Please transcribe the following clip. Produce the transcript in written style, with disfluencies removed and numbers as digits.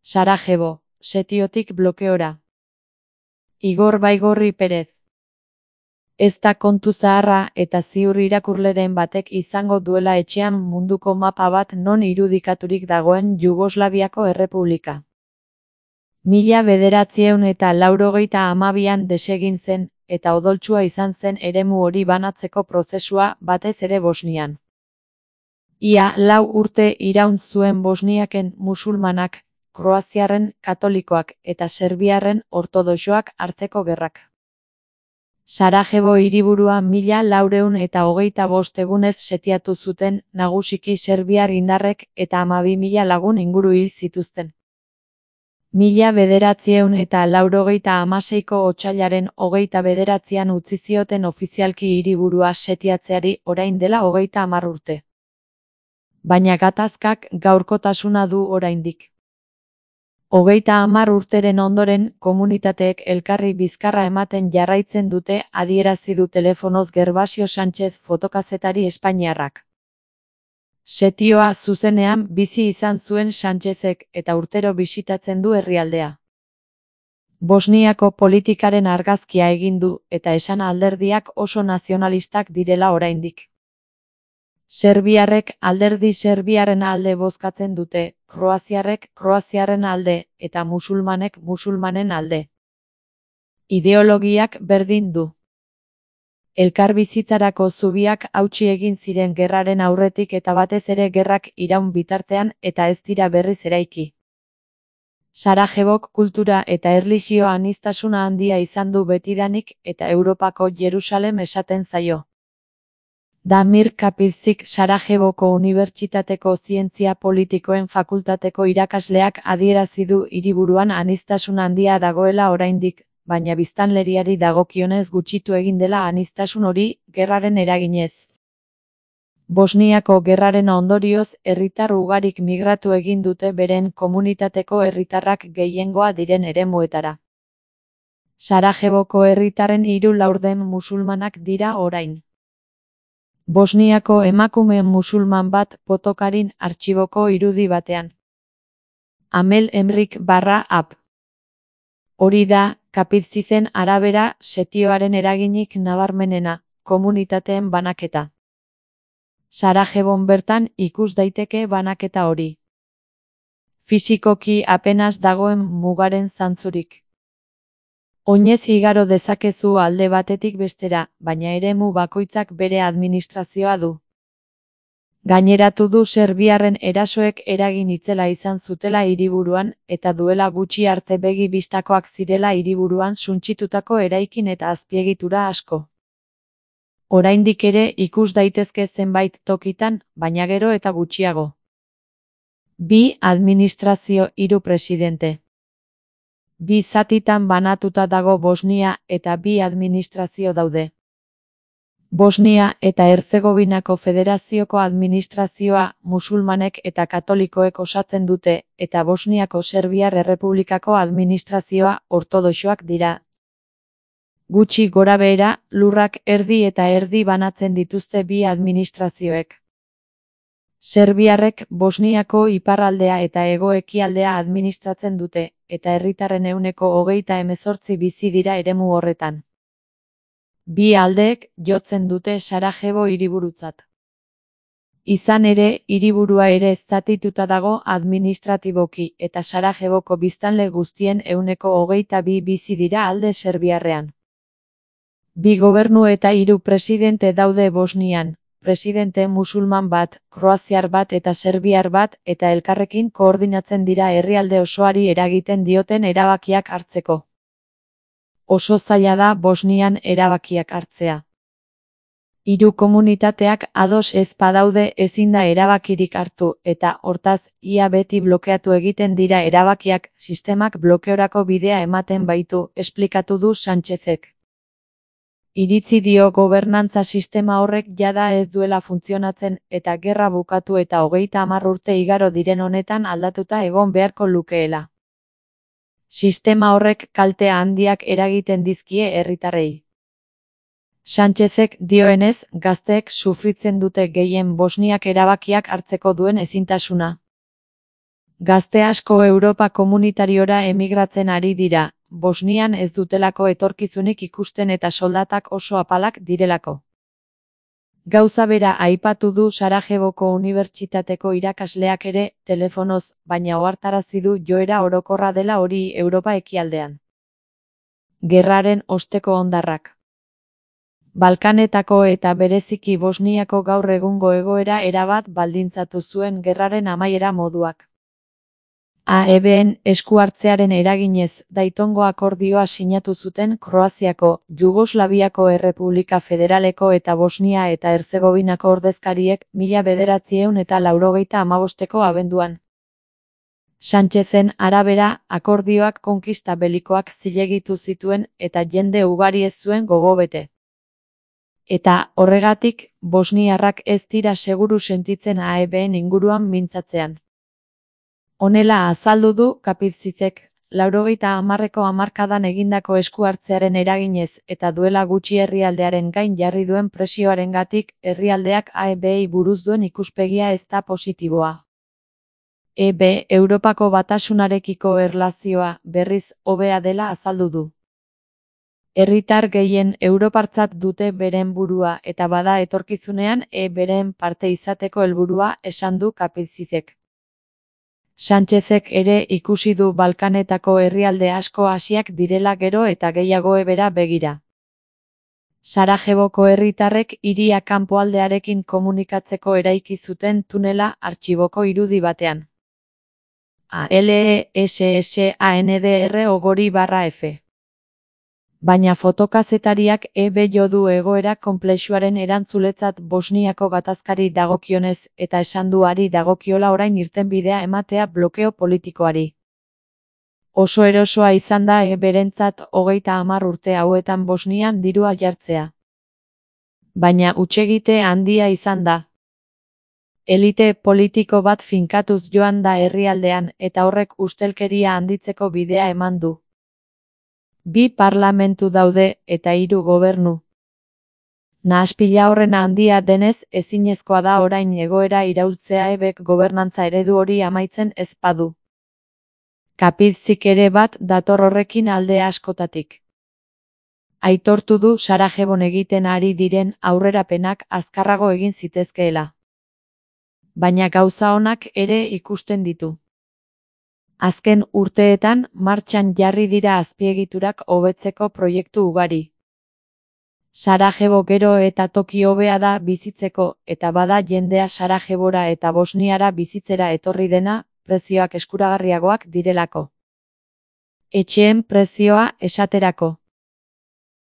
Sarajevo, setiotik blokeora. Igor Baigorri Perez. Ez da kontu zaharra eta ziur irakurleren batek izango duela etxean munduko mapa bat non irudikaturik dagoen Jugoslaviako Errepublika. 1982an desegin zen, eta odoltsua izan zen eremu hori banatzeko prozesua, batez ere Bosnian. Ia 4 urte iraun zuen Bosniaken musulmanak, kroaziarren katolikoak eta serbiarren ortodoxoak arteko gerrak. Sarajevo hiriburua 1425 egunez setiatu zuten, nagusiki serbiar indarrek eta 12.000 lagun inguru hil zituzten. 1986ko otsailaren 29an utzi zioten ofizialki hiriburua setiatzeari orain dela 30 urte. Baina gatazkak gaurkotasuna du oraindik. 30 urteren ondoren, komunitateek elkarri bizkarra ematen jarraitzen dute, adierazi du telefonoz Gervasio Sánchez fotokazetari espainiarrak. Setioa zuzenean bizi izan zuen Sánchezek eta urtero bisitatzen du herrialdea. Bosniako politikaren argazkia egin du eta esan alderdiak oso nazionalistak direla oraindik. Serbiarrek alderdi serbiarren alde bozkatzen dute, kroaziarrek kroaziarren alde eta musulmanek musulmanen alde. Ideologiak berdin du. Elkarbizitzarako zubiak hautsi egin ziren gerraren aurretik eta batez ere gerrak iraun bitartean eta ez dira berriz eraiki. Sarajevok kultura eta erlijio aniztasuna handia izan du betidanik eta Europako Jerusalem esaten zaio. Damir Kapitzik Sarajevoko Unibertsitateko Zientzia Politikoen Fakultateko irakasleak adierazi du hiriburuan aniztasun handia dagoela oraindik, baina biztanleriari dagokionez gutxitu egin dela aniztasun hori, gerraren eraginez. Bosniako gerraren ondorioz, herritar ugarik migratu egin dute beren komunitateko herritarrak gehiengoa diren eremuetara. Sarajevoko herritarren 3/4 musulmanak dira orain. Bosniako emakume musulman bat Potokarin artxiboko irudi batean. Amel Emrik /ab. Hori da, Kapitzizen arabera, setioaren eraginik nabarmenena, komunitateen banaketa. Sarajevon bertan ikus daiteke banaketa hori. Fisikoki apenas dagoen mugaren zantzurik. Oinez igaro dezakezu alde batetik bestera, baina eremu bakoitzak bere administrazioa du. Gaineratu du serbiarren erasoek eragin itzela izan zutela hiriburuan eta duela gutxi arte begi bistakoak zirela hiriburuan suntsitutako eraikin eta azpiegitura asko. Oraindik ere ikus daitezke zenbait tokitan, baina gero eta gutxiago. 2 administrazio 3 presidente. 2 zatitan banatuta dago Bosnia eta 2 administrazio daude. Bosnia eta Herzegovinako Federazioko administrazioa musulmanek eta katolikoek osatzen dute eta Bosniako Serbiar Errepublikako administrazioa ortodoxoak dira. Gutxi gorabehera, lurrak erdi eta erdi banatzen dituzte 2 administrazioek. Serbiarrek Bosniako iparraldea eta hego-ekialdea administratzen dute, eta herritarren 38% bizi dira eremu horretan. 2 aldeek jotzen dute Sarajevo hiriburutzat. Izan ere, hiriburua ere zatituta dago administratiboki eta Sarajevoko biztanle guztien 22% bizi dira alde serbiarrean. 2 gobernu eta 3 presidente daude Bosnian, presidente musulman bat, kroaziar bat eta serbiar bat eta elkarrekin koordinatzen dira herrialde osoari eragiten dioten erabakiak hartzeko. Oso zaila da Bosnian erabakiak hartzea. 3 komunitateak ados ez badaude ezin da erabakirik hartu eta, hortaz, ia beti blokeatu egiten dira erabakiak, sistemak blokeorako bidea ematen baitu, esplikatu du Sánchezek. Iritzi dio gobernantza sistema horrek jada ez duela funtzionatzen eta gerra bukatu eta 30 urte igaro diren honetan aldatuta egon beharko lukeela. Sistema horrek kalte handiak eragiten dizkie herritarrei. Sánchezek dioenez, gazteek sufritzen dute gehien Bosniak erabakiak hartzeko duen ezintasuna. Gazte asko Europa komunitariora emigratzen ari dira, Bosnian ez dutelako etorkizunik ikusten eta soldatak oso apalak direlako. Gauza bera aipatu du Sarajevoko Unibertsitateko irakasleak ere, telefonoz, baina ohartarazi du joera orokorra dela hori Europa ekialdean. Gerraren osteko hondarrak. Balkanetako eta bereziki Bosniako gaur egungo egoera erabat baldintzatu zuen gerraren amaiera moduak. AEB-en esku hartzearen eraginez Daytongo akordioa sinatu zuten Kroaziako, Jugoslaviako Errepublika Federaleko eta Bosnia eta Herzegovinako ordezkariek 1995 abenduan. Sánchezen arabera, akordioak konkista belikoak zilegitu zituen eta jende ugari ez zuen gogo bete. Eta, horregatik, bosniarrak ez dira seguru sentitzen AEB-en inguruan mintzatzean. Honela azaldu du Kapitzicek, 90ko hamarkadan egindako esku hartzearen eraginez eta duela gutxi herrialdearen gain jarri duen presioarengatik herrialdeak AEB-ei buruz duen ikuspegia ez da positiboa. EB Europako Batasunarekiko erlazioa berriz hobea dela azaldu du. Herritar gehien europartzat dute beren burua eta bada etorkizunean beren parte izateko helburua esan du Kapitzicek. Sánchezek ere ikusi du Balkanetako herrialde asko hasiak direla gero eta gehiago ebera begira. Sarajevoko herritarrek hiria kanpoaldearekin komunikatzeko eraiki zuten tunela artxiboko irudi batean. ALESSANDR/F. Baina fotokazetariak jo du egoera konplexuaren erantzuletzat Bosniako gatazkari dagokionez eta esan du hari dagokiola orain irtenbidea ematea blokeo politikoari. Oso erosoa izan da berentzat 30 urte hauetan Bosnian dirua jartzea. Baina hutsegite handia izan da. Elite politiko bat finkatuz joan da herrialdean eta horrek ustelkeria handitzeko bidea eman du. 2 parlamentu daude eta 3 gobernu. Nahaspila horren handia denez ezinezkoa da orain egoera iraultzea EBek gobernantza eredu hori amaitzen ez badu. Kapitzik ere bat dator horrekin alde askotatik. Aitortu du Sarajevon egiten ari diren aurrerapenak azkarrago egin zitezkeela. Baina gauza onak ere ikusten ditu. Azken urteetan martxan jarri dira azpiegiturak hobetzeko proiektu ugari. Sarajevo gero eta toki hobea da bizitzeko eta bada jendea Sarajevora eta Bosniara bizitzera etorri dena, prezioak eskuragarriagoak direlako. Etxeen prezioa esaterako.